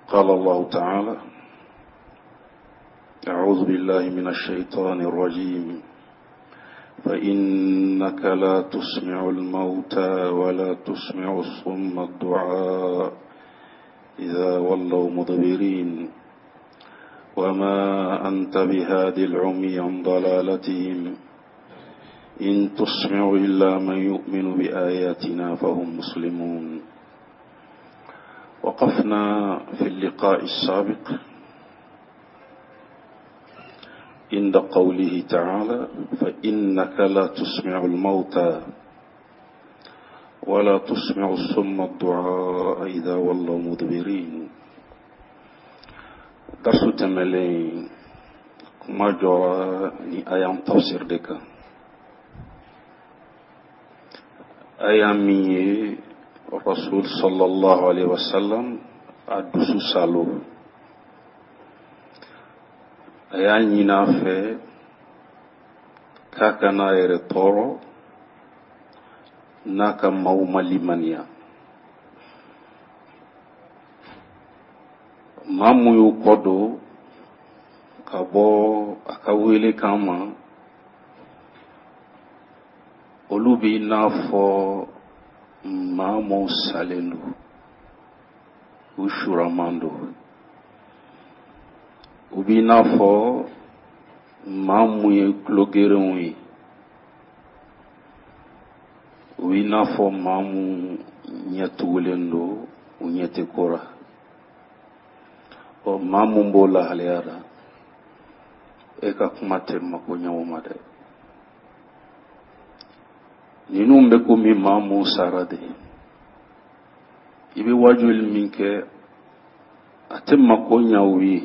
قال الله تعالى أعوذ بالله من الشيطان الرجيم فإنك لا تسمع الموتى ولا تسمع الصم الدعاء إذا ولوا مدبرين وما أنت بهادي العمي عن ضلالتهم إن تسمع إلا من يؤمن بآياتنا فهم مسلمون وقفنا في اللقاء السابق عند قوله تعالى فإنك لا تسمع الموتى ولا تسمع الصم الدعاء إذا ولوا مدبرين درس تملين كما جرى آيام تفسير دكا aya min ye rasul sallallahu alaihi wasallam a dusu salo a y'a ɲini a fɛ k'a kana a yɛrɛ tɔɔrɔ n'a ka maaw ma limaniya maa mun y'u kɔ don ka bɔ a ka welekan ma olu b'i n'a fɔ maa mun salen don u suraman don u b'i n'a fɔ maa mun ye tulogerenw ye u b'i n'a fɔ maa mun ɲɛ tugulen don u ɲɛ tɛ ko la ɔ maa mun b'o lahalaya la e ka kuma tɛ mako ɲɛ o ma dɛ ninnu bɛ komi maa mun sara de i bɛ wajuli min kɛ a tɛ mako ɲɛ u ye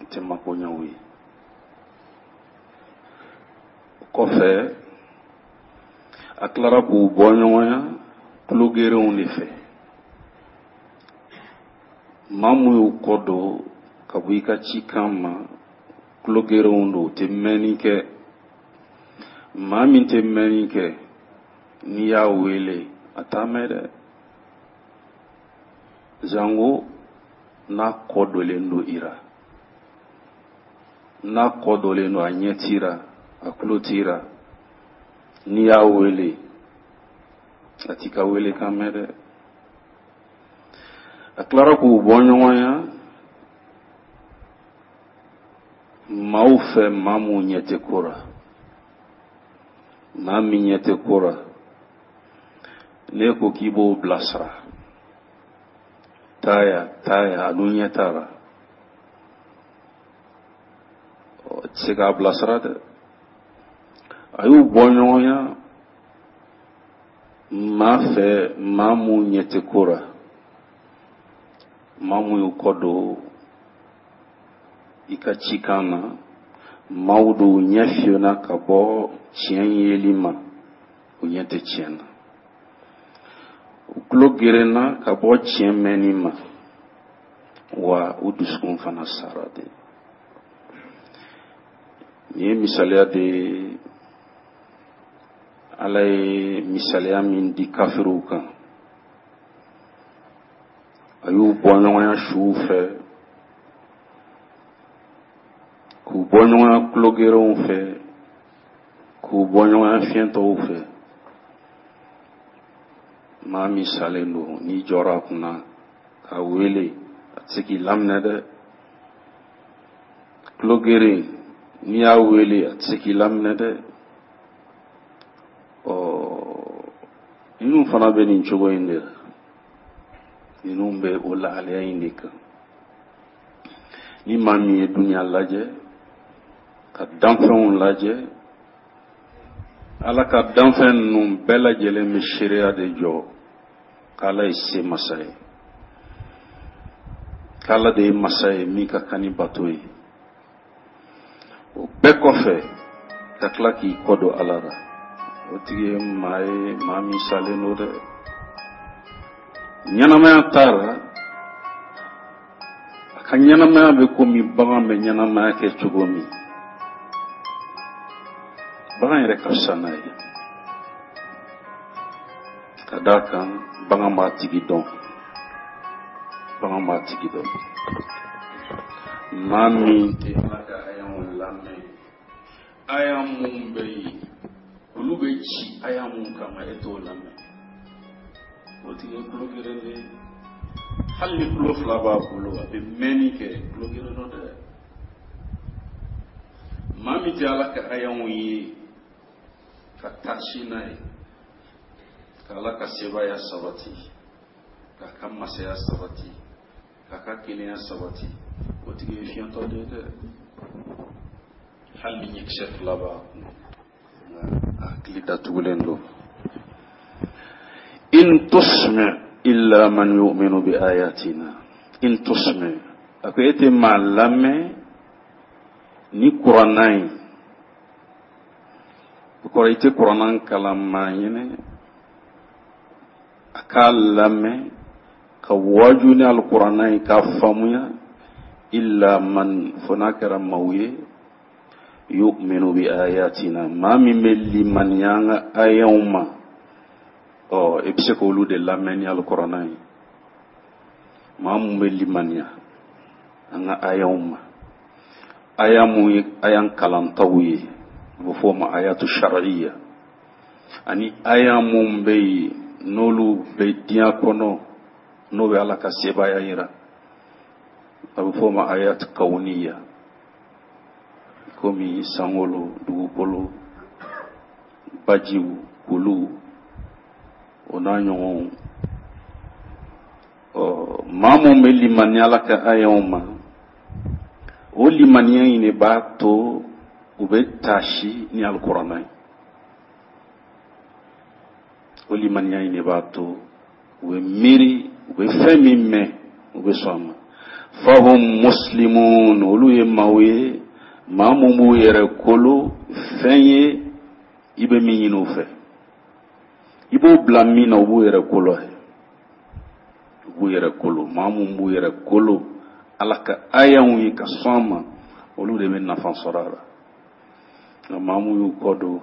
a tɛ mako ɲɛ u ye o kɔfɛ a tilara k'u bɔ ɲɔgɔnya tulogerenw de fɛ maa mun y'u kɔ don ka bɔ i ka cikan ma tulogerenw don u tɛ mɛnni kɛ maa min tɛ mɛnni kɛ n'i y'a wele a t'a mɛn dɛ zango n'a kɔ donnen don i ra n'a kɔ donnen don a ɲɛ t'i ra a tulo t'i ra n'i y'a wele a t'i ka welekan mɛn dɛ a tilara k'u bɔ ɲɔgɔn ya maaw fɛ maa mun ɲɛ tɛ ko ra maa min ɲɛ tɛ ko ra n'e ko k'i b'o bilasira taa yan taa yan a dun ɲɛ t'a la ɔ tɛ se k'a bilasira dɛ a y'u bɔ ɲɔgɔn ya maa fɛ maa mun ɲɛ tɛ ko ra maa mun y'u kɔ don i ka cikan na maaw don ɲɛ fiyena ka bɔ tiɲɛ yeli ma u ɲɛ tɛ tiɲɛ na u tulo gerenna ka bɔ tiɲɛ mɛnni ma wa u dusukun fana sara de nin ye misaliya de ye ala ye misaliya min di kafiriw kan a y'u bɔ ɲɔgɔnya suw fɛ k'u bɔ ɲɔgɔnya tulogerenw fɛ k'u bɔ ɲɔgɔnya fiyentɔw fɛ maa min salen don n'i jɔra a kunna k'a wele a tɛ se k'i laminɛ dɛ tulogeren n'i y'a wele a tɛ se k'i laminɛ dɛ ɔ ninnu fana bɛ nin cogo in de la ninnu bɛ o lahalaya in de kan ni maa min ye duniya lajɛ ka danfɛnw lajɛ ala ka danfɛn ninnu bɛɛ lajɛlen bɛ seereya de jɔ k'ala ye se masa ye k'ala de ye masa ye min ka kan ni bato ye o bɛɛ kɔfɛ ka tila k'i kɔ don ala la o tigi ye maa ye maa min salen don dɛ ɲɛnamaya t'a la a ka ɲɛnamaya bɛ komi bagan bɛ ɲɛnamaya kɛ cogo min bagan yɛrɛ ka fisa n'a ye ka d'a kan bagan b'a tigi dɔn Bagan b'a tigi dɔn. Maa min tɛ Ala ka ayaw lamɛn, aya mun bɛ yen, olu bɛ ci aya mun kama, e t'o lamɛn, o tigi ye tulo geren de ye. Hali ni tulo fila b'a bolo, a bɛ mɛnni kɛ, tulo geren dɔ dɛ. Maa min tɛ Ala ka ayaw ye ka taasi n'a ye, ka Ala ka sebaaya sabati, k'a ka masaya sabati, k'a ka kelenya sabati, o tigi ye fiyentɔ de ye dɛ. Hali ni ɲɛkisɛ fila b'a kun, nka a hakili datugulen don. In tusmi illa man yu'minu bi ayatina. In tusmi, a ko e tɛ maa lamɛn ni kuranna ye. O kɔrɔ, i tɛ kuranna kalan maa ɲɛnɛ a k'a lamɛn ka waaju ni alikuranna ye k'a faamuya, illa man, fo n'a kɛra maaw ye, yu'minu bi ayatina, maa min bɛ limaniya an ka ayaw ma. Ɔ, i bɛ se k'olu de lamɛn ni alikuranna ye, maa mun bɛ limaniya an ka ayaw ma. Aya mun ye aya kalantaw ye, a bɛ fɔ o ma ayatu shar'iyya, ani aya mun bɛ yen n'olu bɛ diɲɛ kɔnɔ, n'o bɛ Ala ka sebaaya yira, a bɛ fɔ o ma ayat kawuniya, komi sankolo, dugukolo, bajiw, kuluw, o n'a ɲɔgɔnw. Ɔ, maa mun bɛ limaniya Ala ka ayaw ma, o limaniya in de b'a to u bɛ taasi ni alikuranna ye. O limaniya in de b'a to u bɛ miiri, u bɛ fɛn min mɛn, u bɛ sɔn a ma. Fahum muslimun, olu ye maaw ye, maa mun b'u yɛrɛ kolo fɛn ye i bɛ min ɲini u fɛ, i b'o bila min na, u b'u yɛrɛ kolo ye, u b'u yɛrɛ kolo. Maa mun b'u yɛrɛ kolo Ala ka ayaw ye ka sɔn a ma, olu de bɛ nafa sɔrɔ a la. Nka maa mun y'u kɔ don,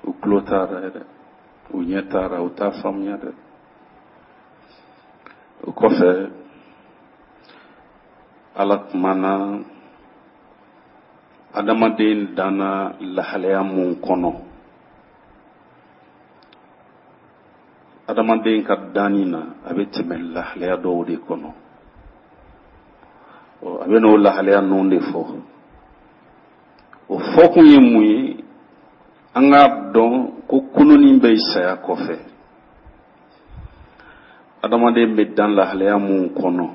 u tulo t'a ra yɛrɛ, u ɲɛ t'a ra, u t'a faamuya dɛ. O kɔfɛ, Ala kumana adamaden danna lahalaya mun kɔnɔ. Adamaden ka danni na, a bɛ tɛmɛ lahalaya dɔw de kɔnɔ. A bɛ n'o lahalaya ninnu de fɔ. O fɔkun ye mun ye? An k'a dɔn ko kununni bɛ saya kɔfɛ. Adamaden bɛ dan lahalaya mun kɔnɔ,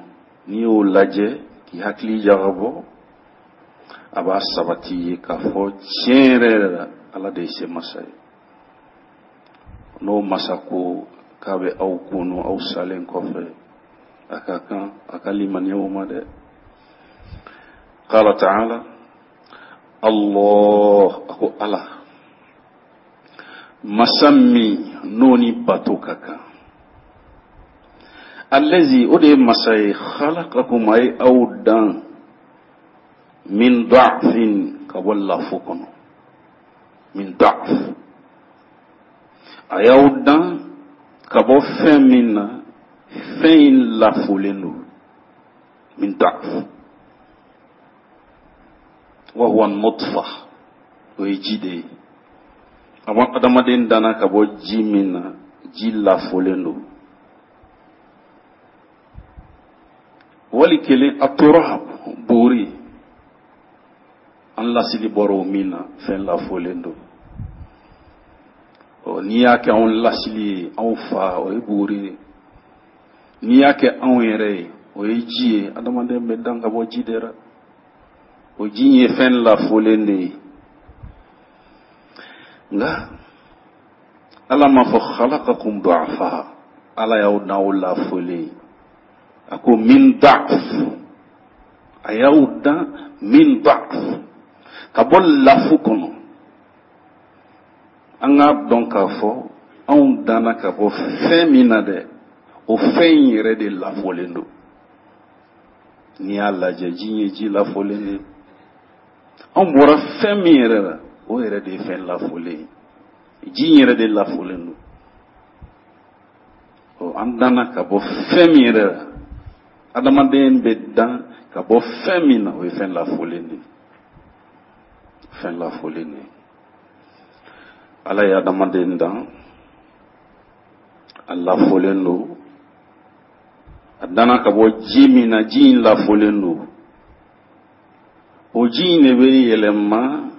n'i y'o lajɛ k'i hakili jagabɔ, a b'a sabati ye k'a fɔ tiɲɛ yɛrɛ yɛrɛ la, Ala de ye se masa ye. N'o masa ko k'a bɛ aw kunu aw salen kɔfɛ, a ka kan a ka limaniya o ma dɛ. Qala ta'ala, Allah, a ko Ala masa min n'o ni bato ka kan, allazi, o de ye masa ye, khalaqakum, a ye aw dan, min da'fin, ka bɔ lafo kɔnɔ, min da'f, a y'aw dan ka bɔ fɛn min na, fɛn in lafolen don, min da'f, wa huwa nutfa, o ye ji de ye. Adamaden danna ka bɔ ji min na, ji lafolen don. Wali kelen, a tora buguri, an lasili bɔra o min na, fɛn lafolen don. Ɔ, n'i y'a kɛ anw lasili ye, anw fa, o ye buguri ye. N'i y'a kɛ anw yɛrɛ ye, o ye ji ye. Adamaden bɛ dan ka bɔ ji de la. O ji ye fɛn lafolen de ye. Nka Ala m'a fɔ khalaqakum du'afa, Ala y'aw dan aw lafolen. A ko min da'f, a y'aw dan min da'f, ka bɔ lafu kɔnɔ. An k'a dɔn k'a fɔ anw danna ka bɔ fɛn min na dɛ, o fɛn in yɛrɛ de lafolen don. N'i y'a lajɛ, ji ye ji lafolen de ye. Anw bɔra fɛn min yɛrɛ la, o yɛrɛ de ye fɛn lafolen ye. Ji in yɛrɛ de lafolen don. Ɔ, an danna ka bɔ fɛn min yɛrɛ la, Adamaden bɛ dan ka bɔ fɛn min na, o ye fɛn lafolen de ye, fɛn lafolen de ye. Ala ye adamaden dan, a lafolen don. A danna ka bɔ ji min na, ji in lafolen don. O ji in de bɛ yɛlɛma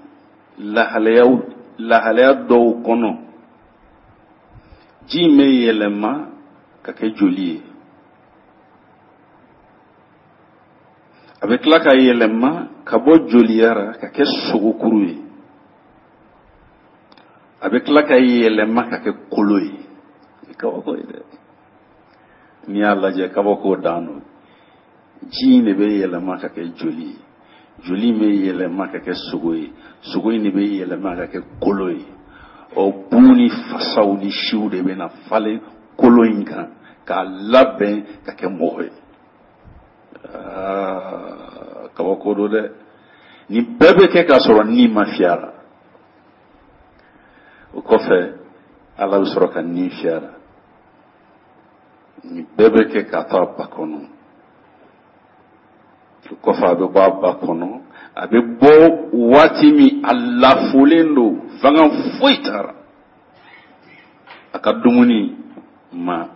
lahalayaw lahalaya dɔw kɔnɔ. Ji in bɛ yɛlɛma ka kɛ joli ye, a bɛ tila ka yɛlɛma ka bɔ joliya ra ka kɛ sogokuru ye, a bɛ tila ka yɛlɛma ka kɛ kolo ye. Kabako ye dɛ! N'i y'a lajɛ, kabako dan don. Ji in de bɛ yɛlɛma ka kɛ joli ye, joli in bɛ yɛlɛma ka kɛ sogo ye, sogo in de bɛ yɛlɛma ka kɛ kolo ye. Ɔ, bu ni fasaw ni siw de bɛ na falen kolo in kan k'a labɛn ka kɛ mɔgɔ ye. Kabako don dɛ! Nin bɛɛ bɛ kɛ k'a sɔrɔ ni ma fiyɛ a la. O kɔfɛ, Ala bɛ sɔrɔ ka ni fiyɛ a la. Nin bɛɛ bɛ kɛ k'a to a ba kɔnɔ. O kɔfɛ, a bɛ bɔ a ba kɔnɔ. A bɛ bɔ waati min, a lafolen don, fanga foyi t'a la. A ka dumuni ma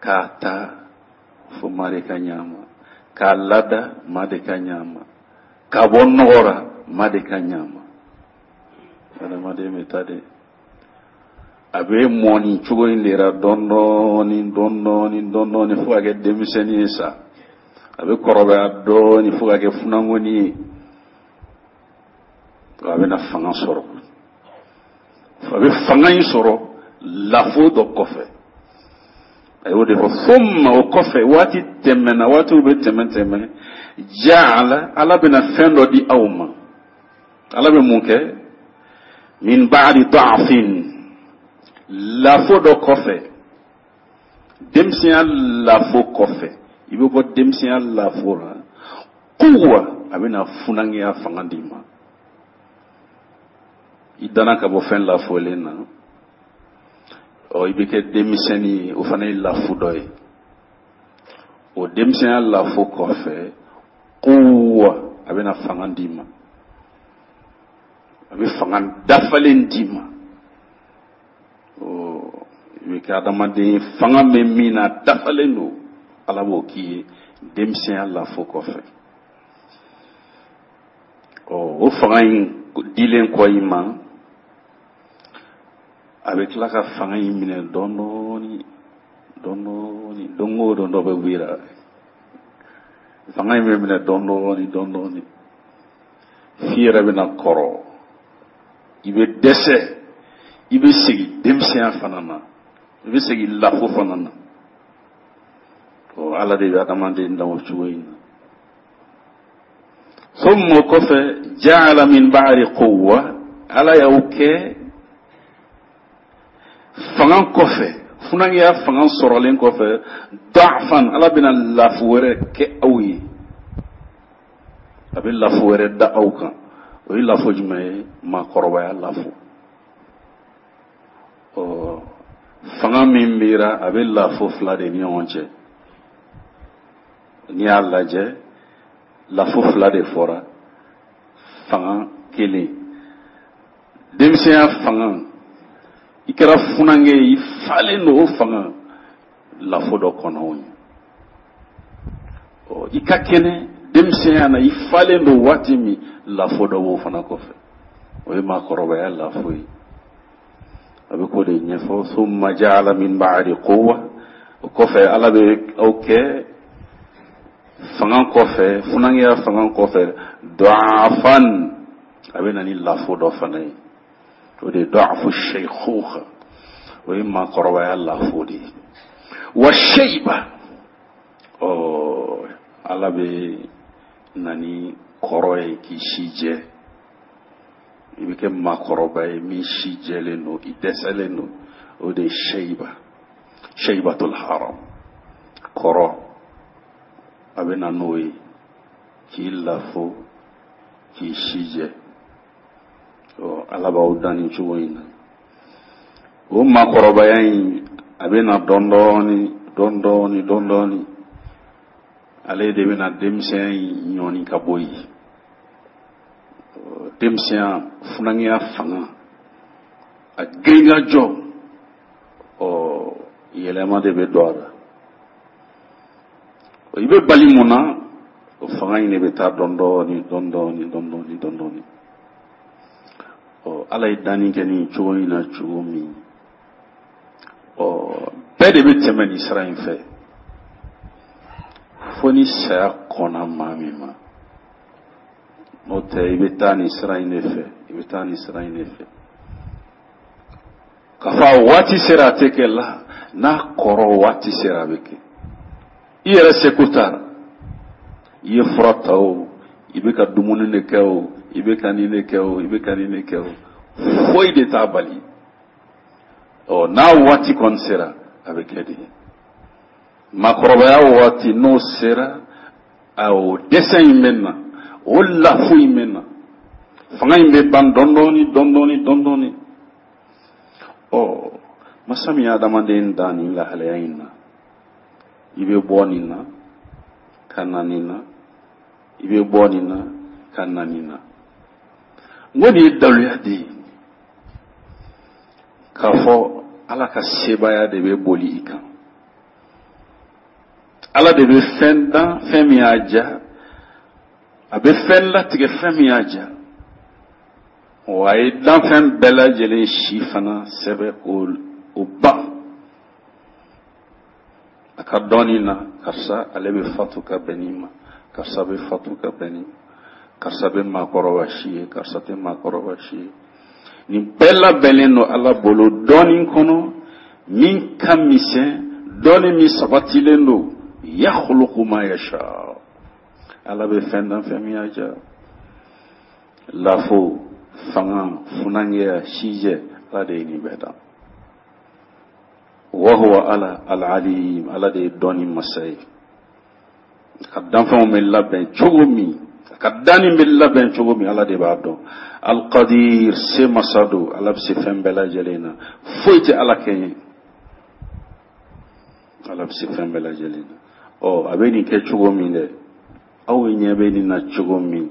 k'a ta fo maa de ka ɲa ma, k'a lada maa de ka ɲa ma, k'a bɔ nɔgɔ ra maa de ka ɲa ma. Adamaden bɛ taa de, a bɛ mɔ nin cogo in de ra dɔɔni dɔɔni dɔɔni dɔɔni dɔɔni fo ka kɛ denmisɛnnin ye sa. A bɛ kɔrɔbaya dɔɔni fo ka kɛ funankɛnin ye. A bɛna fanga sɔrɔ, a bɛ fanga in sɔrɔ lafo dɔ kɔfɛ. A y'o de fɔ: summa, o kɔfɛ, waati tɛmɛna, waatiw bɛ tɛmɛ tɛmɛ, jaala, Ala bɛna fɛn dɔ di aw ma. Ala bɛ mun kɛ? Min ba'di da'fin, lafo dɔ kɔfɛ, denmisɛnya lafo kɔfɛ, i bɛ bɔ denmisɛnya lafo la, quwwa, a bɛna funankɛya fanga d'i ma. I danna ka bɔ fɛn lafolen na, ɔ, i bɛ kɛ denmisɛnnin ye, o fana ye lafo dɔ ye. O denmisɛnya lafo kɔfɛ, quwwa, a bɛna fanga d'i ma, a bɛ fanga dafalen d'i ma. I bɛ kɛ adamaden fanga bɛ min na, dafalen don. Ala b'o k'i ye denmisɛnya lafo kɔfɛ. Ɔ, o fanga in dilen kɔ i ma, a bɛ tila ka fanga in minɛ dɔɔni dɔɔni dɔɔni. Don o don, dɔ bɛ bɔ i la. Fanga in bɛ minɛ dɔɔni dɔɔni dɔɔni dɔɔni f'i yɛrɛ bɛna kɔrɔ, i bɛ dɛsɛ, i bɛ segin denmisɛnya fana na, i bɛ segin lafo fana na. Ɔ, Ala de bɛ adamaden dan o cogo in na. Summa, o kɔfɛ, jaala min ba'di quwwa, Ala y'aw kɛ fanga kɔfɛ, funankɛya fanga sɔrɔlen kɔfɛ, da'fan, Ala bɛna lafo wɛrɛ kɛ aw ye, a bɛ lafo wɛrɛ da aw kan. O ye lafo jumɛn ye? Maakɔrɔbaya lafo. Ɔ, fanga min b'i ra, a bɛ lafo fila de ni ɲɔgɔn cɛ. N'i y'a lajɛ, lafo fila de fɔra: fanga kelen, denmisɛnya fanga, i kɛra funankɛ ye, i falen don, o fanga lafo dɔ kɔnɔ o ye. Ɔ, i ka kɛnɛ denmisɛnya na, i falen don waati min, lafo dɔ b'o fana kɔfɛ, o ye maakɔrɔbaya lafo ye. A bɛ k'o de ɲɛfɔ: summa jaala min ba'di quwwa, o kɔfɛ, Ala bɛ aw kɛ fanga kɔfɛ, funankɛya fanga kɔfɛ, da'afan, a bɛ na ni lafo dɔ fana ye, o de ye da'afu shaykhuha, o ye maakɔrɔbaya lafo de ye. Wa shayba, ɔ, Ala bɛ na ni kɔrɔ ye k'i si jɛ, i bɛ kɛ maakɔrɔba ye min si jɛlen don, i dɛsɛlen don. O de ye shayba, shaybatul haram, kɔrɔ, a bɛ na n'o ye k'i lafo, k'i si jɛ. Ɔ, Ala b'aw dan nin cogo in na. O maakɔrɔbaya in, a bɛ na dɔɔni dɔɔni dɔɔni dɔɔni dɔɔni. Ale de bɛna denmisɛnya in ɲɔni ka bɔ yen. Denmisɛnya, funankɛya fanga, a girinkajɔ, ɔ yɛlɛma de bɛ don a la. I bɛ bali mun na, o fanga in de bɛ taa dɔɔni dɔɔni dɔɔni dɔɔni dɔɔni dɔɔni dɔɔni. Ɔ Ala ye danni kɛ nin cogo in na cogo min, ɔ bɛɛ de bɛ tɛmɛ nin sira in fɛ, fo ni saya kɔnna maa min ma. N'o tɛ, i bɛ taa nin sira in de fɛ, i bɛ taa nin sira in de fɛ. K'a fɔ a waati sera, a tɛ kɛ la, n'a kɔrɔ waati sera, a bɛ kɛ. I yɛrɛ seko t'a la. I ye fura ta o, i bɛ ka dumuni de kɛ o, i bɛ ka nin de kɛ o, i bɛ ka nin de kɛ o, foyi de t'a bali. Ɔ n'a waati kɔni sera, a bɛ kɛ de. Maakɔrɔbaya waati n'o sera, o dɛsɛ in bɛ na, o lafu in bɛ na, fanga in bɛ ban dɔɔni dɔɔni dɔɔni dɔɔni dɔɔni. Ɔ masa min ye adamaden dan nin lahalaya in na, i bɛ bɔ nin na ka na nin na, i bɛ bɔ nin na ka na nin na. N ko nin ye daluya de ye k'a fɔ Ala ka sebaaya de bɛ boli i kan. Ala de bɛ fɛn dan, fɛn min y'a diya, a bɛ fɛn latigɛ, fɛn min y'a diya. Wa a ye danfɛn bɛɛ lajɛlen si fana sɛbɛn k'o ban a ka dɔnni na. Karisa, ale bɛ fatu ka bɛn nin ma, karisa bɛ fatu ka bɛn nin ma, karisa bɛ maakɔrɔba si ye, karisa tɛ maakɔrɔba si ye. Nin bɛɛ labɛnnen don Ala bolo dɔnni kɔnɔ min ka misɛn, dɔnni min sabatilen don. Yakhluqu ma yasha, Ala bɛ fɛn dan, fɛn min y'a diya. Lafo, fanga, funankɛya, sijɛ, Ala de ye nin bɛɛ dan. Wa huwa Ala al-alim, Ala de ye dɔnni masa ye. A ka danfɛnw bɛ labɛn cogo min, a ka danni bɛ labɛn cogo min, Ala de b'a dɔn. Al-qadir, se masa don, Ala bɛ se fɛn bɛɛ lajɛlen na, foyi tɛ Ala kɛɲɛ, Ala bɛ se fɛn bɛɛ lajɛlen na. Ɔ a bɛ nin kɛ cogo min dɛ, aw ɲɛ bɛ nin na cogo min,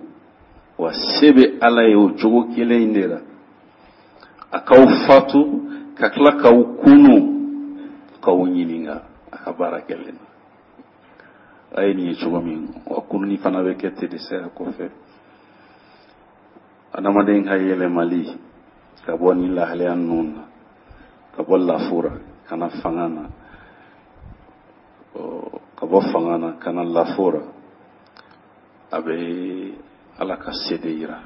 wa se bɛ Ala ye o cogo kelen in de la, a k'aw fatu ka tila k'aw kunu k'aw ɲininka a ka baara kɛlen na. A ye nin ye cogo min, wa kununi fana bɛ kɛ ten de saya kɔfɛ. Adamaden ka yɛlɛmali ka bɔ nin lahalaya ninnu na, ka bɔ lafura ka na fanga na, ka bɔ fanga na ka na lafura, a bɛ Ala ka se de yira.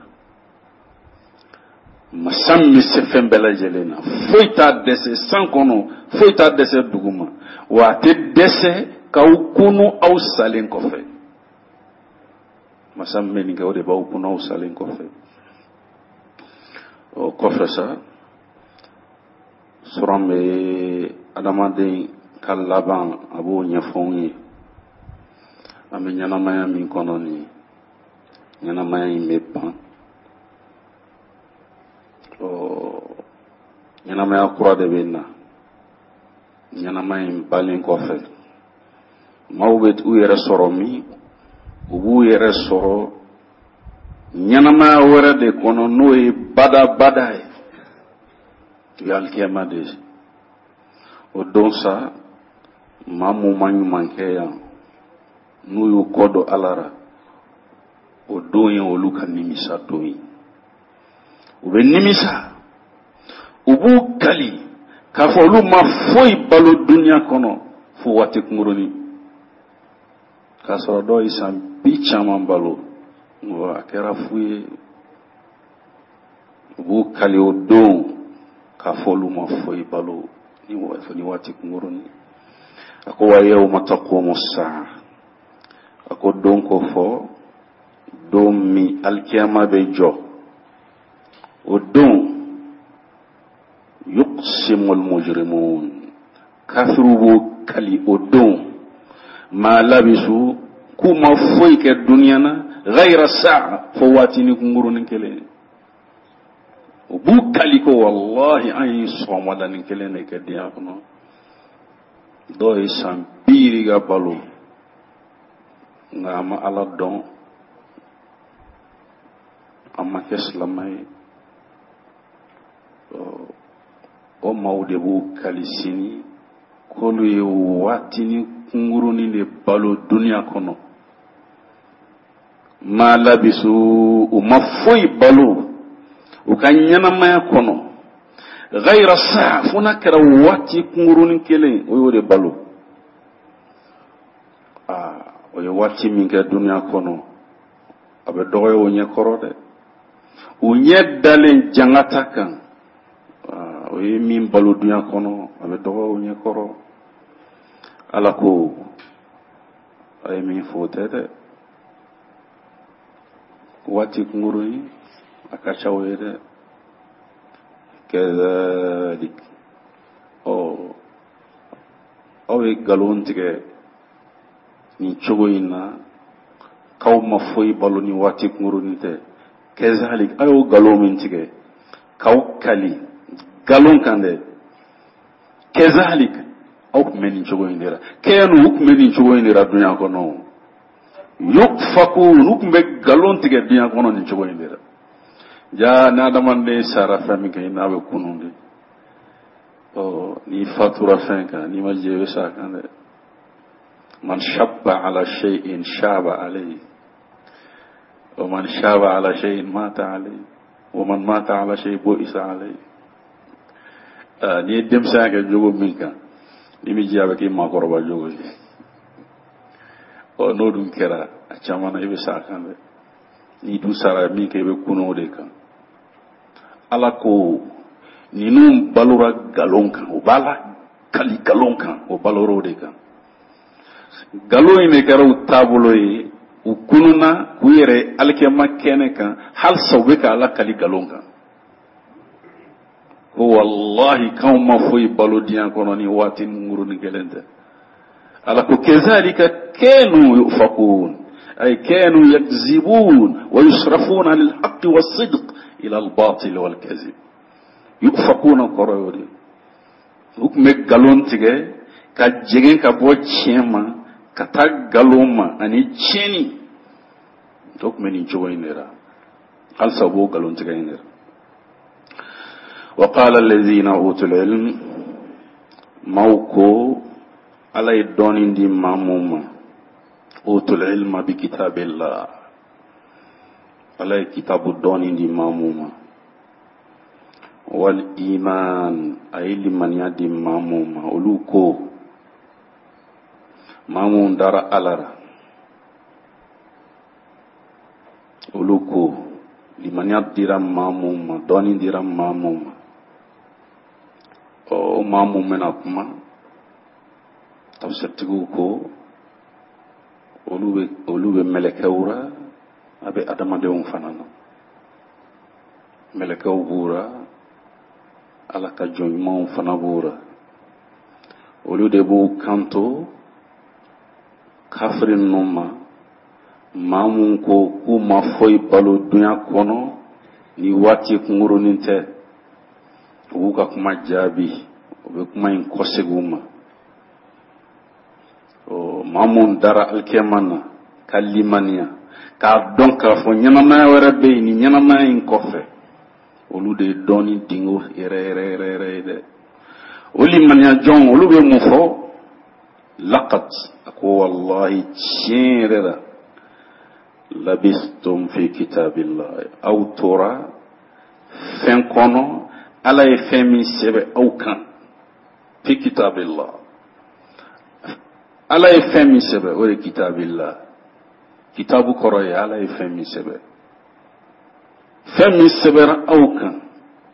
Masa min bɛ se fɛn bɛɛ lajɛlen na, foyi t'a dɛsɛ san kɔnɔ, foyi t'a dɛsɛ dugu ma, wa a tɛ dɛsɛ k'aw kunu aw salen kɔfɛ. Masa min bɛ nin kɛ, o de b'aw kunu aw salen kɔfɛ. O kɔfɛ sa, suran bɛ adamaden ka laban, a b'o ɲɛfɔ anw ye. An bɛ ɲɛnamaya min kɔnɔ nin ye, ɲɛnamaya in bɛ ban, ɔ ɲɛnamaya kura de bɛ na. Ɲɛnamaya in balen kɔfɛ, maaw bɛ u yɛrɛ sɔrɔ min, u b'u yɛrɛ sɔrɔ ɲɛnamaya wɛrɛ de kɔnɔ, n'o ye badabada ye, o ye alikiyama de ye. O don sa, maa mun ma ɲuman kɛ yan, n'u y'u kɔ don Ala ra, o don ye olu ka nimisa don ye. U bɛ nimisa, u b'u kali k'a fɔ olu ma foyi balo duniya kɔnɔ fo waati kunkurunin, k'a sɔrɔ dɔw ye san bi caman balo, a kɛra fu ye. U b'u kali o don k'a fɔ olu ma foyi balo ni waati kunkurunin. A ko wa yawma taqumu saa, a ko don ko fɔ don min alikiyama bɛ jɔ, o don yuqsimul mujrimun, kafiriw b'o kali o don, ma labisu, k'u ma foyi kɛ duniya na, ghayra saa, fo waatinin kunkurunin kelen. U b'u kali ko wallahi an ye sɔgɔmadanin kelen de kɛ diɲɛ kɔnɔ. Dɔw ye san bi yirika balo. Nka an ma Ala dɔn, an ma kɛ silama ye. O maaw de b'u kali sini k'olu ye waatinin kunkurunin de balo duniya kɔnɔ. Ma labisu, u ma foyi balo u ka ɲɛnamaya kɔnɔ gayira saa, fo n'a kɛra waati kunkurunin kelen, o y'o de balo. Aa, o ye waati min kɛ duniya kɔnɔ, a bɛ dɔgɔya o ɲɛ kɔrɔ dɛ. U ɲɛ dalen jangata kan, o ye min balo duniya kɔnɔ, a bɛ dɔgɔya o ɲɛ kɔrɔ. Ala ko a ye min fɔ o tɛ dɛ, waati kunkurunnin a ka ca o ye dɛ. Kazalik, ɔ aw ye nkalon tigɛ nin cogo in na k'aw ma foyi balo ni waati kunkurunnin tɛ. Kazalik, aw y'o nkalon min tigɛ k'aw kali nkalon kan dɛ, kazalik, aw tun bɛ nin cogo in de la. Kɛnu, u tun bɛ nin cogo in de la dunya kɔnɔ. Yufakun, u tun bɛ nkalon tigɛ dunya kɔnɔ nin cogo in de la. Ja ni adamaden sara fɛn min kan, i n'a bɛ kunun de. Ɔ n'i fatura fɛn kan, n'i ma jɛ, i bɛ sa a kan dɛ. Man shabba ala shay'in shaba alayhi, wa man shaba ala shay'in mata alayhi, wa man mata ala shay'in bu'isa alayhi. N'i ye denmisɛnya kɛ jogo min kan, n'i m'i jija, a bɛ k'i maakɔrɔba jogo ye. Ɔ n'o dun kɛra, a caman na i bɛ sa a kan dɛ. N'i dun sara min kan, i bɛ kunun o de kan. Ala ko ninnu balora nkalon kan, u b'a la kali nkalon kan, o balora o de kan. Nkalon in de kɛra u taabolo ye. U kununna k'u yɛrɛ alikiyama kɛnɛ kan, halisa u bɛ ka Ala kali nkalon kan ko walahi k'anw ma foyi balo diɲɛ kɔnɔ ni waati kunkurunin kelen tɛ. Ala ko kazalika kanu yufakun, ay kanu yakzibun wa yusrafuna anil haqqi was-sidq ila al-batil wal-kazib. Yufakuna kɔrɔ y'o de ye. U tun bɛ nkalon tigɛ ka jɛngɛ ka bɔ tiɲɛ ma ka taa nkalon ma ani tiɲɛni. O tun bɛ nin cogo in de la, halisa u b'o nkalon tigɛ in de la. Wa qala allazina utul ilm, maaw ko Ala ye dɔnni di maa mun ma, utul ilma bi kitabillah, Ala ye kitabu dɔnni di maa mun ma, wal iman, a ye limaniya di maa mun ma, olu ko maa mun dara Ala la, olu ko limaniya dira maa mun ma, dɔnni dira maa mun ma, ɔ o maa mun bɛna kuma, tafsirtigiw ko olu bɛ mɛlɛkɛw ra, a bɛ adamadenw fana na. Mɛlɛkɛw b'u ra, Ala ka jɔn ɲumanw fana b'u ra. Olu de b'u kanto kafiri ninnu ma, maa mun ko k'u ma foyi balo dunya kɔnɔ ni waati kunkurunin tɛ. U b'u ka kuma jaabi, u bɛ kuma in kɔsegin u ma. Ɔ maa mun dara alikiyama na ka limaniya k'a dɔn k'a fɔ ɲɛnamaya wɛrɛ bɛ yen nin ɲɛnamaya in kɔfɛ, olu de ye dɔnni dingo yɛrɛ yɛrɛ yɛrɛ yɛrɛ ye dɛ. O limaniya jɔn, olu bɛ mun fɔ? Laqad, a ko wallahi tiɲɛ yɛrɛ la, labistum fi kitabillah, aw tora fɛn kɔnɔ Ala ye fɛn min sɛbɛn aw kan. Fi kitabillah, Ala ye fɛn min sɛbɛn, o de kitabillah. Kitabu kɔrɔ ye Ala ye fɛn min sɛbɛn, fɛn min sɛbɛnra aw kan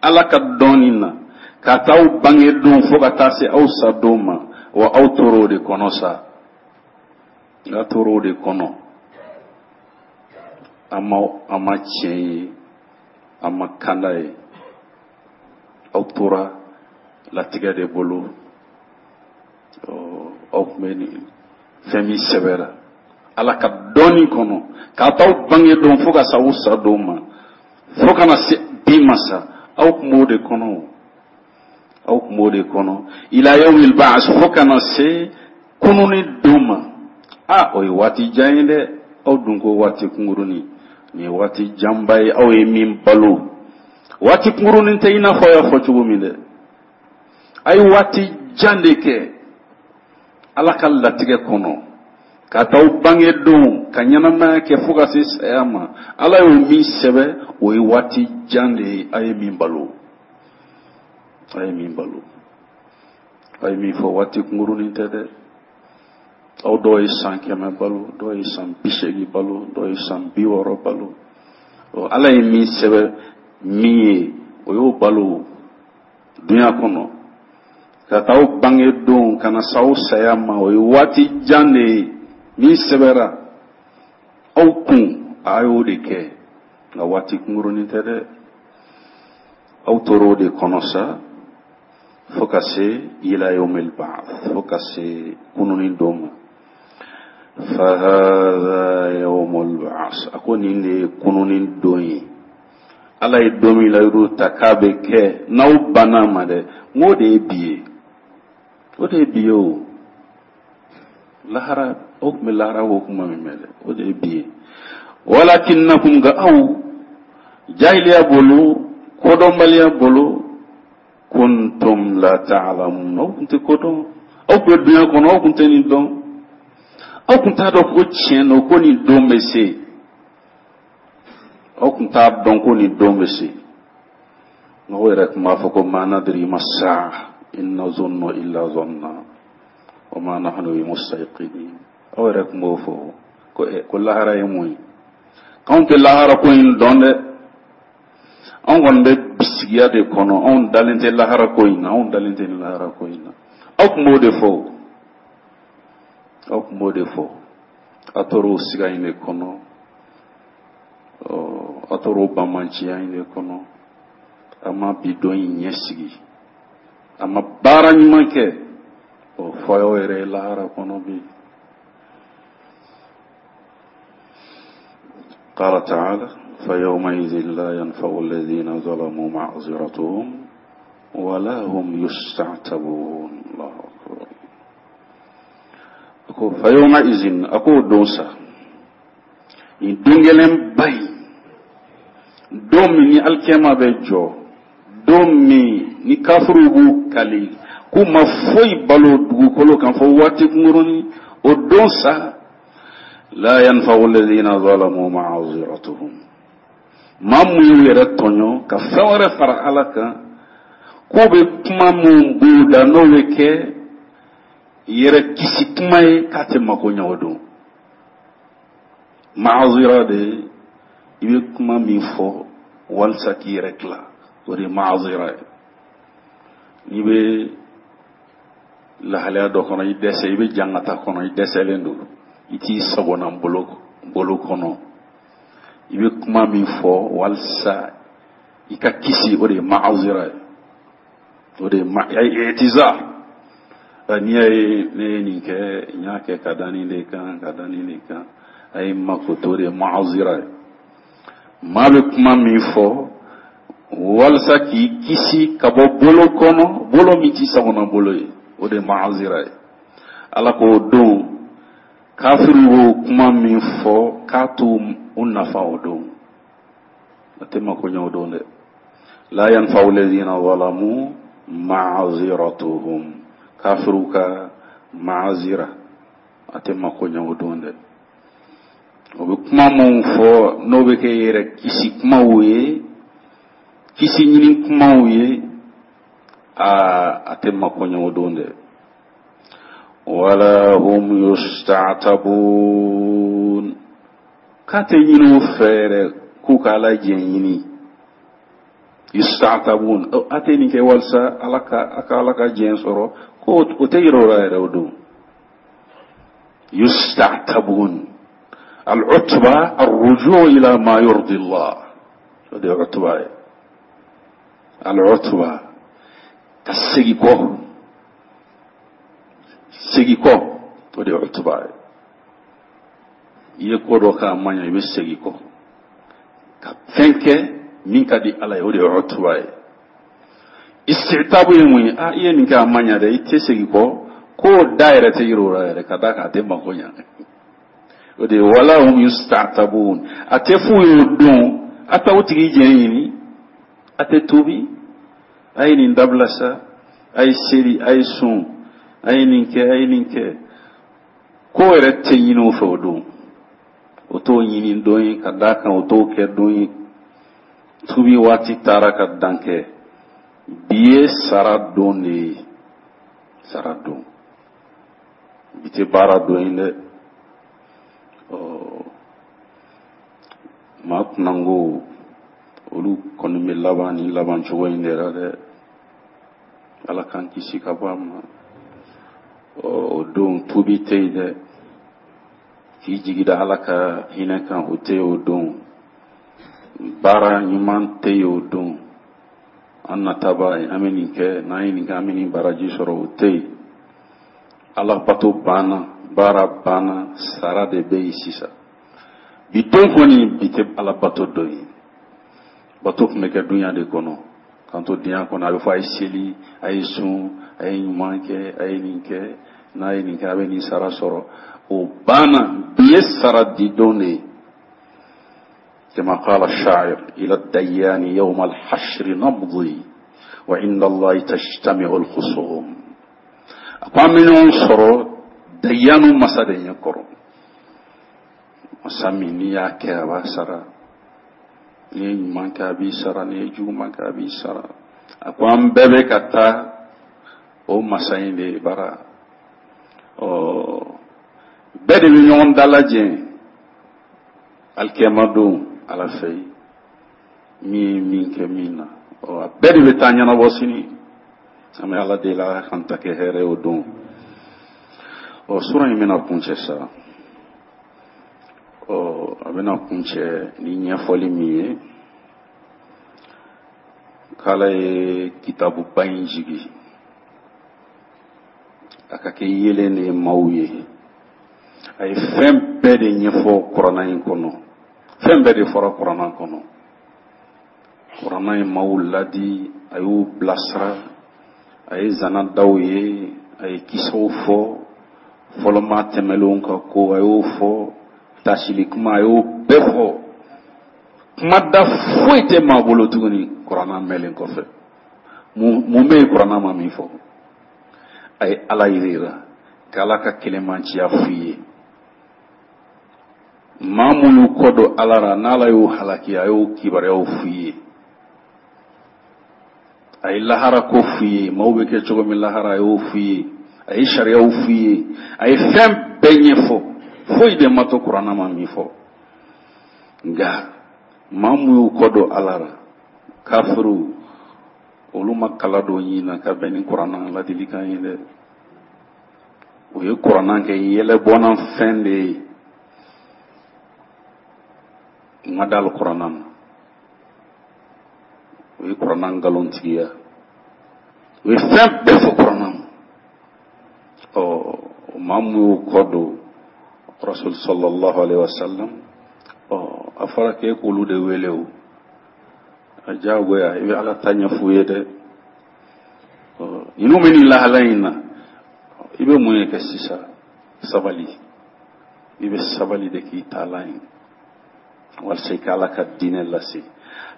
Ala ka dɔnni na ka taa aw bange don fo ka taa se aw sa don ma. Wa aw tora o de kɔnɔ sa, nka tora o de kɔnɔ, an ma tiɲɛ ye, an ma kanda ye, aw tora latigɛ de bolo. Aw tun bɛ nin fɛn min sɛbɛra Ala ka dɔnni kɔnɔ k'a t'aw bange don fo ka s'aw sa don ma, fo ka na se bi ma sa, aw tun b'o de kɔnɔ, aw tun b'o de kɔnɔ, ila yawmil ba'as, fo ka na se kununni don ma. A o ye waati jan ye dɛ. Aw dun ko waati kunkurunin, nin ye waati janba ye aw ye min balo. Waati kunkurunin tɛ i n'a fɔ aw y'a fɔ cogo min dɛ. A ye waati jan de kɛ Ala ka latigɛ kɔnɔ, ka taa aw bange don ka ɲɛnamaya kɛ fo ka se saya ma. Ala y'o min sɛbɛn, o ye waati jan de ye a ye min balo, a ye min balo. A ye min fɔ, waati kunkurunin tɛ dɛ. Aw dɔw ye san 100 balo, dɔw ye san 80 balo, dɔw ye san 60 balo. Ala ye min sɛbɛn min ye, o y'o balo dunya kɔnɔ. Ka taa aw bange don ka na s'aw saya ma, o ye waati jan de ye min sɛbɛra aw kun, a y'o de kɛ. Nka waati kunkurunin tɛ dɛ. Aw tora o de kɔnɔ sa fo ka se ila yawmil ba'th, fo ka se kununi don ma. Fahadha yawmul ba'th, a ko nin de ye kununi don ye. Ala ye don min layidu ta k'a bɛ kɛ, n'aw banna ma dɛ, n k'o de ye bi ye, o de ye bi ye. O lahara, o tun bɛ lahara ko kuma min mɛn dɛ, o de ye bi ye. Walakinnakum, nka aw jahiliya bolo, kodɔnbaliya bolo, kuntum la ta'lamun, aw tun tɛ ko dɔn. Aw tun bɛ dunya kɔnɔ, aw tun tɛ nin dɔn, aw tun t'a dɔn ko tiɲɛ don ko nin don bɛ se, aw tun t'a dɔn ko nin don bɛ se. Aw yɛrɛ tun b'a fɔ ko ma nadri ma saa in nazunnu illa zanna wa ma nahnu bi mustayqinin. Aw yɛrɛ tun b'o fɔ ko ko lahara ye mun ye, k'anw tɛ lahara ko in dɔn dɛ, anw kɔni bɛ bisigiya de kɔnɔ, anw dalen tɛ lahara ko in na, anw dalen tɛ lahara ko in na. Aw tun b'o de fɔ, aw tun b'o de fɔ. A tora o siga in de kɔnɔ, a tora o banbanciya in de kɔnɔ. A ma bi don in ɲɛsigi, a ma baara ɲuman kɛ, o fɔ aw yɛrɛ ye lahara kɔnɔ bi. قال تعالى فيومئذ لا ينفع الذين ظلموا معذرتهم ولا هم يستعتبون. الله أكبر. Ako فيومئذ, ako don sa, nin don gɛlɛnba in, don min ni alikiyama bɛ jɔ, don min ni kafiruw b'u kali k'u ma foyi balo dugukolo kan fo waati kunkurunin, o don sa, la yanfa'u alladhina zalamu ma'aziratuhum, maa mun y'u yɛrɛ tɔɲɔ ka fɛn wɛrɛ fara Ala kan, k'o bɛ kuma mun b'u da n'o bɛ kɛ yɛrɛ kisi kuma ye, k'a tɛ mako ɲɛ o don. Ma'azira de, i bɛ kuma min fɔ walisa k'i yɛrɛ tila, o de ye ma'azira ye. N'i bɛ lahalaya dɔ kɔnɔ, i dɛsɛ, i bɛ jangata kɔnɔ, i dɛsɛlen don, i t'i sagona bolo kɔnɔ, i bɛ kuma min fɔ walisa i ka kisi, o de ye ma'azira ye, o de ye i'tizar. N'i y'a ye ne ye nin kɛ, n y'a kɛ ka da nin de kan, ka da nin de kan, a ye makoto, o de ye ma'azira ye. Maa bɛ kuma min fɔ walisa k'i kisi ka bɔ bolo kɔnɔ, bolo min t'i sagona bolo ye, o de ye ma'azira ye. Ala k'o don, kafiriw b'o kuma min fɔ k'a t'u u nafa o don, a tɛ mako ɲɛ o don dɛ. La yanfa'u alladhina zalamu ma'aziratuhum, kafiriw ka ma'azira a tɛ mako ɲɛ o don dɛ. O bɛ kuma minnu fɔ n'o bɛ kɛ yɛrɛ kisi kumaw ye, kisi ɲini kumaw ye, a tɛ mako ɲɛ o don dɛ. Wala hum yusta'tabun, k'a tɛ ɲini u fɛ yɛrɛ k'u ka Ala jɛ ɲini. Yusta'tabun, a tɛ nin kɛ walisa Ala ka, a ka Ala ka jɛ sɔrɔ, ko o tɛ yɛrɛ o la yɛrɛ o don. Yusta'tabun, al-utba ar-ruju' ila ma yurdi Allah, o de ye utba ye. Al-utba, ka segin kɔ, segin kɔ, o de ye utba ye. I ye ko dɔ k'a man ɲɛ, i bɛ segin kɔ ka fɛn kɛ min ka di Ala ye, o de ye utba ye. Istitabu ye mun ye? A i ye nin kɛ, a man ɲɛ dɛ, i tɛ segin kɔ, k'o da yɛrɛ tɛ yiri o la yɛrɛ, ka d'a kan a tɛ mako ɲɛ. O de ye wala hum yusta'tabun, a tɛ f'u ye o don a t'aw tigi jɛn ɲini, a tɛ tuubi, a ye nin dabila sa, a ye seli, a ye sun, a ye nin kɛ, a ye nin kɛ. Ko yɛrɛ tɛ ɲini u fɛ o don, o t'o ɲini don ye, ka d'a kan o t'o kɛ don ye. Tubi waati taara ka dan kɛ. Bi ye sara don de ye, sara don. Bi tɛ baara don ye dɛ. Ɔ maa kunnango olu kɔni bɛ laban ni laban cogo in de la dɛ. Ala k'an kisi ka bɔ a ma. Ɔ o don tubi tɛ yen dɛ. K'i jigi da Ala ka hinɛ kan, o tɛ yen o don. Baara ɲuman tɛ yen o don. An nataba an bɛ nin kɛ, n'an ye nin kɛ an bɛ nin baraji sɔrɔ, o tɛ yen. Ala bato banna, baara banna, sara de bɛ yen sisan. Bi don kɔni, bi tɛ ala bato don ye. Bato tun bɛ kɛ dunya de kɔnɔ. K'an to diɲɛ kɔnɔ, a bɛ fɔ a ye seli, a ye sun, a ye ɲuman kɛ, a ye nin kɛ, n'a ye nin kɛ a bɛ nin sara sɔrɔ. O banna, bi ye sara di don de ye. كما قال الشاعر إلى الديان يوم الحشر نمضي وعند الله تجتمع الخصوم. A ko an bɛ ɲɔgɔn sɔrɔ dayanu masa de ɲɛ kɔrɔ, masa min n'i y'a kɛ a b'a sara, n'i ye ɲuman kɛ a b'i sara, n'i ye juguman kɛ a b'i sara. A ko an bɛɛ bɛ ka taa o masa in de bara. Ɔ bɛɛ de bɛ ɲɔgɔn dalajɛ alikiyama don Ala fɛ yen, min ye min kɛ min na, ɔ a bɛɛ de bɛ taa ɲɛnabɔ sini. An bɛ Ala deli Ala k'an ta kɛ hɛrɛ o don. Ɔ sura in bɛna kuncɛ sa. Ɔ a bɛna kuncɛ ni ɲɛfɔli min ye, k'Ala ye kitabuba in jigi a ka kɛ yeelen de ye maaw ye. A ye fɛn bɛɛ de ɲɛfɔ kuranna in kɔnɔ, fɛn bɛɛ de fɔra kuranna kɔnɔ. Kuranna ye maaw ladi, a y'u bilasira, a ye zana daw ye, a ye kisaw fɔ, fɔlɔmaa tɛmɛlenw ka ko a y'o fɔ, tasili kuma a y'o bɛɛ fɔ. Kuma da foyi tɛ maa bolo tuguni kuranna mɛnlen kɔfɛ. Mun bɛ yen kuranna ma min fɔ? A ye Ala yira, k'Ala ka kelenmanciya f'u ye. Maa minnu y'u kɔ don Ala la, n'Ala y'u halaki, a y'o kibaruyaw f'u ye. A ye lahara ko f'u ye, maaw bɛ kɛ cogo min lahara, a y'o f'u ye. A ye sariyaw f'u ye, a ye fɛn bɛɛ ɲɛfɔ. Foyi de ma to kuranna ma min fɔ. Nka maa minnu y'u kɔ don Ala la, kafiriw, olu ma kala don ɲin na ka bɛn ni kuranna ladilikan ye dɛ. U ye kuranna kɛ yɛlɛbɔnna fɛn de ye. U ma da kuranna na, u ye kuranna nkalontigiya, u ye fɛn bɛɛ fɔ kuranna ma. Ɔ maa min y'u kɔ don Rasul sallallahu alaihi wasallam, ɔ a fɔra k'e k'olu de wele o, a diyagoya i bɛ Ala ta ɲɛf'u ye dɛ. Ɔ ninnu bɛ nin lahala in na, i bɛ mun ye kɛ sisan? Sabali, i bɛ sabali de k'i taalan ye walasa i ka Ala ka diinɛ lase.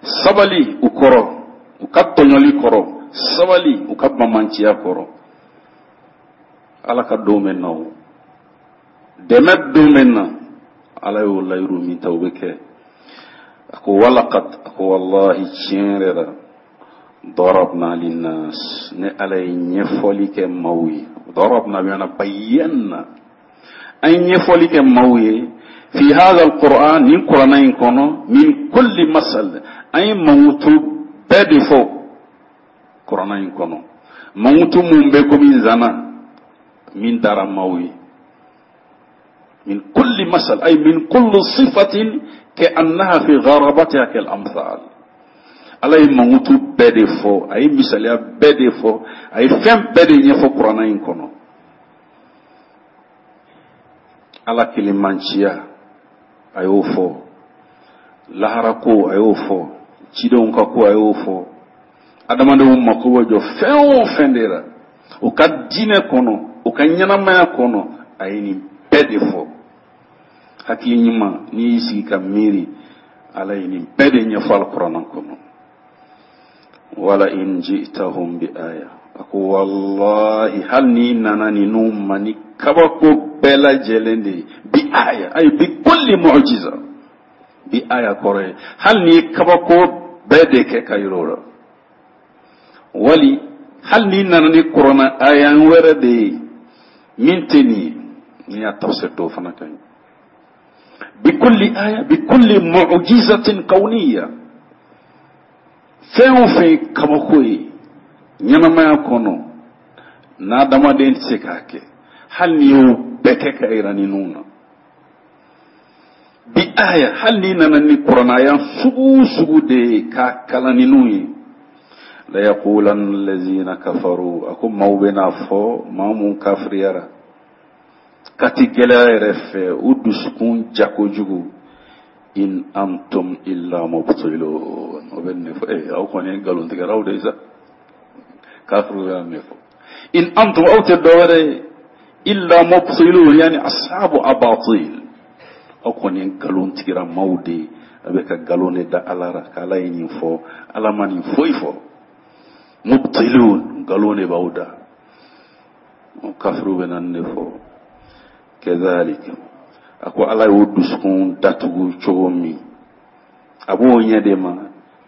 Sabali u kɔrɔ, u ka tɔɲɔli kɔrɔ, sabali u ka bamanciya kɔrɔ. Ala ka don bɛ na, o dɛmɛ don bɛ na. Ala y'o layiru min ta, o bɛ kɛ. A ko walaqad, a ko wallahi tiɲɛ yɛrɛ la, darabna linnas, ne Ala ye ɲɛfɔli kɛ maaw ye. Darabna bi maana bayyana, an ye ɲɛfɔli kɛ maaw ye. Fi hadha alquran, nin kuranna in kɔnɔ, min kulli masal, an ye mankutu bɛɛ de fɔ kuranna in kɔnɔ. Mankutu mun bɛ komi zana min dara maaw ye. Min kulli masal, ay min kulli sifatin ka annaha fi gharabatiha kal amthal. Ala ye mankutu bɛɛ de fɔ, a ye misaliya bɛɛ de fɔ, a ye fɛn bɛɛ de ɲɛfɔ kuranna in kɔnɔ. Ala kelenmanciya a y'o fɔ, lahara ko a y'o fɔ, cidenw ka ko a y'o fɔ. Adamadenw mako bɛ jɔ fɛn o fɛn de la u ka diinɛ kɔnɔ, u ka ɲɛnamaya kɔnɔ, a ye nin bɛɛ de fɔ. Hakili ɲuman, n'i y'i sigi ka miiri, Ala ye nin bɛɛ de ɲɛfɔ alikuranɛ kɔnɔ. Wala in ji'tahum bi aya, a ko wallahi hali n'i nana ninnu ma ni kabako bɛɛ lajɛlen de ye, bi aya, ayi bi kulli mu'jiza, bi aya kɔrɔ ye hali n'i ye kabako bɛɛ de kɛ ka yir'o la, wali hali n'i nana ni kuranɛ aya wɛrɛ de ye min tɛ nin ye, n'i y'a tafsir dɔw fana ka ɲi, bi kulli aya, bi kulli mu'jizatin kawniya, fɛn o fɛn ye kabako ye ɲɛnamaya kɔnɔ n'adamaden tɛ se k'a kɛ, hali n'i y'o bɛɛ kɛ ka yira ninnu na, bi aya, hali n'i nana ni kuranɛ aya sugu o sugu de ye k'a kalan ninnu ye, la yaqulanna allazina kafaru, a ko maaw bɛn'a fɔ, maa mun kafiriyara kati gɛlɛya yɛrɛ fɛ, u dusukun ja kojugu, in antum illa mubtilun, o bɛ nin de fɔ, ee aw kɔni ye nkalontigɛlaw de ye sa, kafiriw y'a nin fɔ, in antum, aw tɛ dɔwɛrɛ ye, illa mubtilun, yani ashabu abatil, aw kɔni ye nkalontigɛla maaw de ye, a bɛ ka nkalon de da Ala la, k'Ala ye nin fɔ, Ala ma nin foyi fɔ, mubtilun, nkalon de b'aw da. Kafiriw bɛ na nin de fɔ. Kazalik, a ko Ala y'o dusukun datugu cogo min, a b'o ɲɛ de ma,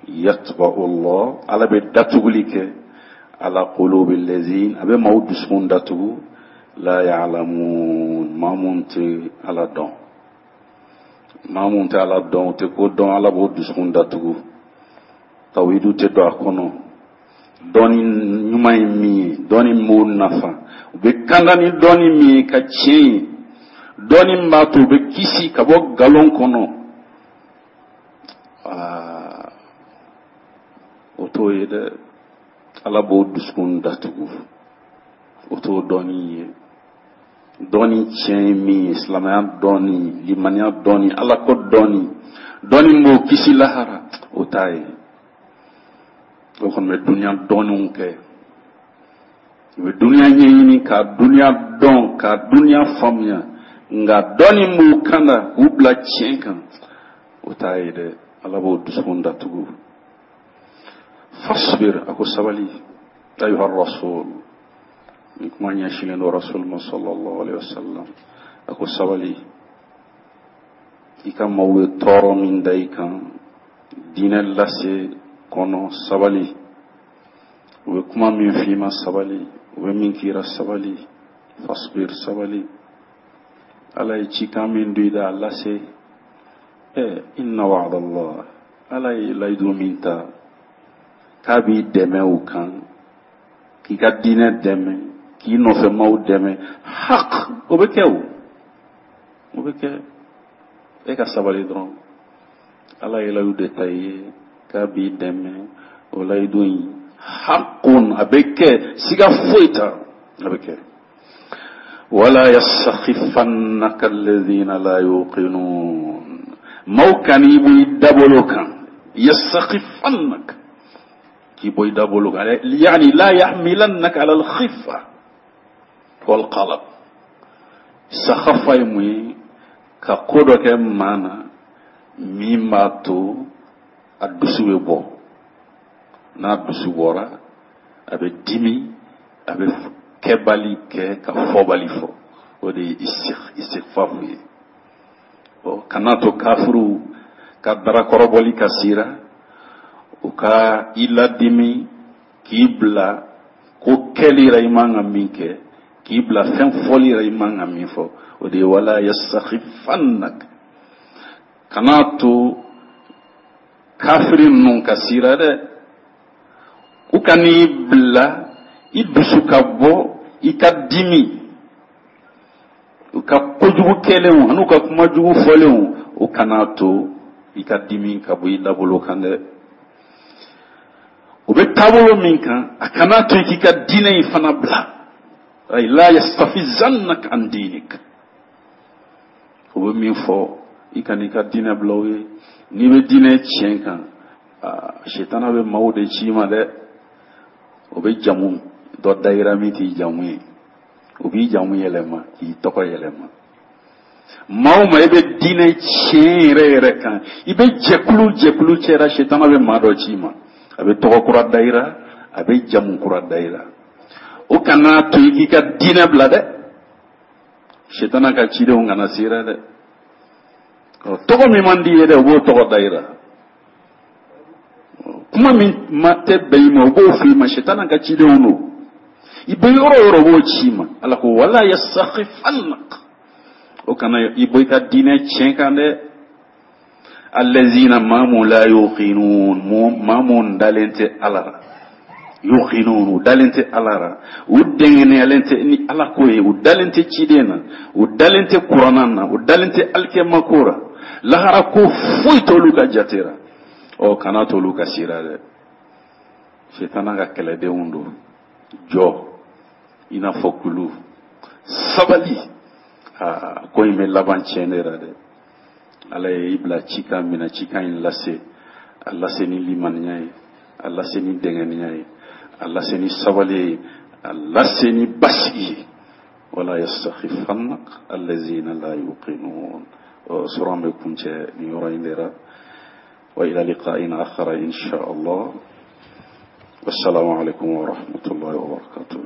yatba'u Allah, Ala bɛ datuguli kɛ ala qulubi allazin, a bɛ maaw dusukun datugu, la ya'lamun, maa mun tɛ Ala dɔn, maa mun tɛ Ala dɔn, o tɛ ko dɔn, Ala b'o dusukun datugu, tawhidu tɛ don a kɔnɔ, dɔnni ɲuman ye min ye, dɔnni min b'o nafa, u bɛ kanda ni dɔnni min ye ka tiɲɛ ye, dɔnni min b'a to u bɛ kisi ka bɔ nkalon kɔnɔ, wala o t'o ye dɛ, Ala b'o dusukun datugu, o t'o dɔnni ye. Dɔnni tiɲɛ ye min ye, silamɛya dɔnni, limaniya dɔnni, Ala ko dɔnni, dɔnni min b'o kisi lahara, o t'a ye. O kɔni bɛ duniya dɔnniw kɛ, u bɛ duniya ɲɛɲini ka duniya dɔn, ka duniya faamuya, nka dɔnni b'u kan na k'u bila tiɲɛ kan, o t'a ye dɛ, Ala b'o dusukun datugu. Fasbir, a ko sabali, ayuha rasul, ni kuma ɲɛsinnen don rasul ma sallallahu alaihi wasallam, a ko sabali, i ka maaw ye tɔɔrɔ min da i kan diinɛ lase kɔnɔ, sabali, u bɛ kuma min f'i ma, sabali, u bɛ min k'i ra, sabali, fasbir, sabali, Ala ye cikan min don i da, a lase. Ɛ inna wa'dallah, Ala ye layidu min ta k'a b'i dɛmɛ o kan, k'i ka diinɛ dɛmɛ, k'i nɔfɛ maaw dɛmɛ, haq, o bɛ kɛ, o o bɛ kɛ, e ka sabali dɔrɔn. Ala ye layidu de ta i ye k'a b'i dɛmɛ, o layidu in hakun, a bɛ kɛ, siga foyi t'a, a bɛ kɛ. Wala yasakhifannaka alladhina la yuqinun, maaw kan'i bɔ i dabolo kan, yasakhifannaka, k'i bɔ i dabolo kan, yani la yahmilannaka ala al-khiffa wal qalaq. Sakhafa ye mun ye? Ka ko dɔ kɛ maa na min b'a to a dusu bɛ bɔ, n'a dusu bɔra a bɛ dimi, a bɛ kɛbali kɛ ka fɔbali fɔ, o de ye istighfafu ye. Ɔ kana to kafiriw ka darakɔrɔbɔli ka sira, u ka i ladimi k'i bila ko kɛli ra i man ka min kɛ, k'i bila fɛn fɔli ra i man ka min fɔ, o de ye wala yastakhifannak, kana to kafiri ninnu ka sira dɛ, u ka n'i bila i dusu ka bɔ, i ka dimi, u ka kojugu kɛlenw an'u ka kuma jugu fɔlenw, o kana to i ka dimi ka bɔ i dabolo kan dɛ. O bɛ taabolo min kan, a kana to i k'i ka diinɛ in fana bila, ay la yastafizannaka an dinik, o bɛ min fɔ, i kan'i ka diinɛ bila o ye. N'i bɛ diinɛ tiɲɛ kan, sitana bɛ maaw de ci i ma dɛ, o bɛ jamu dɔ da i ra min t'i jamu ye, o b'i jamu yɛlɛma k'i tɔgɔ yɛlɛma. Maa o maa i bɛ diinɛ tiɲɛ yɛrɛ yɛrɛ kan, i bɛ jɛkulu jɛkulu cɛra, sitana bɛ maa dɔ ci i ma, a bɛ tɔgɔ kura da i ra, a bɛ jamu kura da i ra. O kana to i k'i ka diinɛ bila dɛ. Sitana ka cidenw kana s'i ra dɛ. Tɔgɔ min man di i ye dɛ, u b'o tɔgɔ da i ra. Kuma min ma tɛ bɛn i ma, u b'o fɔ i ma. Sitana ka cidenw don. I bɛ yɔrɔ o yɔrɔ, u b'o ci i ma. Ala ko wala yastakhifannak, o kana i bɔ i ka diinɛ tiɲɛ kan dɛ. Allazina, maa mun, la yuqinun, maa mun dalen tɛ Ala la. Yuqinun, u dalen tɛ Ala la, u dɛngɛnɛyalen tɛ ni Ala ko ye, u dalen tɛ ciden na, u dalen tɛ kuranna na, u dalen tɛ alikiyama ko la, lahara ko foyi t'olu ka jate la. Ɔ, kana t'olu ka sira dɛ. Sitana ka kɛlɛdenw don. Jɔ i n'a fɔ kulu, sabali. Aa, ko in bɛ laban tiɲɛ de la dɛ. Ala ye i bila cikan min na, cikan in lase, a lase ni limaniya ye, a lase ni dɛngɛniya ye, a lase ni sabali ye, a lase ni basigi ye. Wala yastakhifannak allazina la yuqinun. Suran bɛ kuncɛ nin yɔrɔ in de la. Wa ila liqa'in akhara insha Allah. Wassalamu alaikum wa rahmatullahi wa barakatuh.